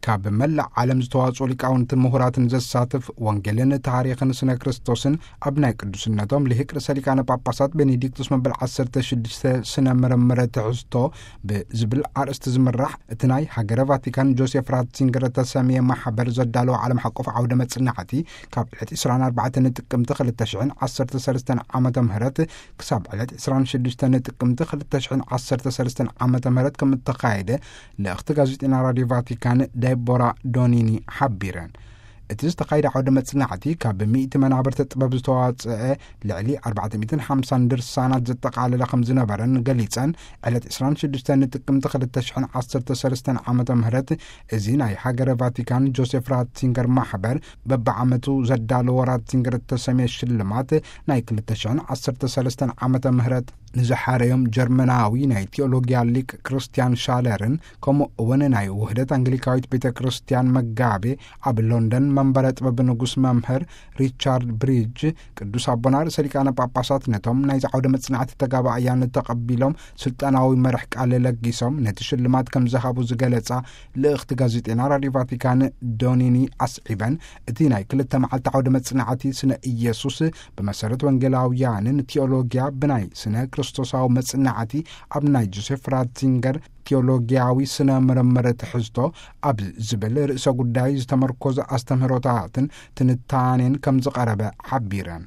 ካብ መላእ ዓለም ዝተዋጽኡ ሊቃውንትን ምሁራትን ዘሳትፍ፣ ወንጌልን ታሪኽን ስነ ክርስቶስን ኣብ ናይ ቅዱስነቶም ልሂቅ ርእሰ ሊቃነ ጳጳሳት ቤኔዲክቱስ መበል ዓሰርተ ሽዱሽተ ስነ ምርምር ትሕዝቶ ብዝብል ኣርእስቲ ዝምራሕ፣ እቲ ናይ ሃገረ ቫቲካን ጆሴፍ ራትዚንገር እተሰምየ ማሕበር ዘዳለዎ ዓለም ሓቆፍ ዓውደ መጽናዕቲ፣ ካብ ዕለት ዕስራን ኣርባዕተን ጥቅምቲ ክልተ ሽሕን ዓሰርተ ሰለስተን ዓመተ ምህረት ክሳብ ዕለት ዕስራን ሽዱሽተን ጥቅምቲ ክልተ ሽሕን ዓሰርተ ሰለስተን ዓመተ ምህረት ከም እተኻየደ ልእኽቲ ጋዜጠኛ ራዲዮ ቫቲካን ደቦራ ዶኒኒ ሓቢረን። እቲ ዝተኻየደ ዓውደ መጽናዕቲ ካብ ሚእቲ መናብርቲ ጥበብ ዝተዋጽአ ልዕሊ ኣርባዕተ ሚእትን ሓምሳን ድርሳናት ዘጠቓለለ ከም ዝነበረን ገሊጸን፣ ዕለት ዕስራን ሽዱሽተን ጥቅምቲ ክልተ ሽሕን ዓሰርተ ሰለስተን ዓመተ ምህረት እዚ ናይ ሃገረ ቫቲካን ጆሴፍ ራትዚንገር ማሕበር በብዓመቱ ዘዳለዎ ራትዚንገር እተሰምየ ሽልማት ናይ ክልተ ሽሕን ዓሰርተ ሰለስተን ዓመተ ምህረት ንዝሓረዮም ጀርመናዊ ናይ ቲኦሎጊያ ሊቅ ክርስቲያን ሻለርን፣ ከምኡ እውን ናይ ውህደት ኣንግሊካዊት ቤተ ክርስቲያን መጋቤ ኣብ ሎንደን መንበረ ጥበብ ንጉስ መምህር ሪቻርድ ብሪጅ፣ ቅዱስ ኣቦና ርእሰ ሊቃነ ጳጳሳት ነቶም ናይዚ ዓውደ መጽናዕቲ ተጋባእያን ተቐቢሎም ስልጣናዊ መርሕ ቃል ለጊሶም ነቲ ሽልማት ከም ዝሃቡ ዝገለጻ ልእኽቲ ጋዜጠና ራዲዮ ቫቲካን ዶኒኒ ኣስዒበን፣ እቲ ናይ ክልተ መዓልቲ ዓውደ መጽናዕቲ ስነ ኢየሱስ ብመሰረት ወንጌላውያንን ቲኦሎጊያ ብናይ ስነ ክርስቶሳዊ መጽናዕቲ ኣብ ናይ ጆሴፍ ራትዚንገር ቲኦሎጊያዊ ስነ ምርምር ትሕዝቶ ኣብ ዝብል ርእሰ ጉዳይ ዝተመርኮዘ ኣስተምህሮታትን ትንታኔን ከም ዝቐረበ ሓቢረን።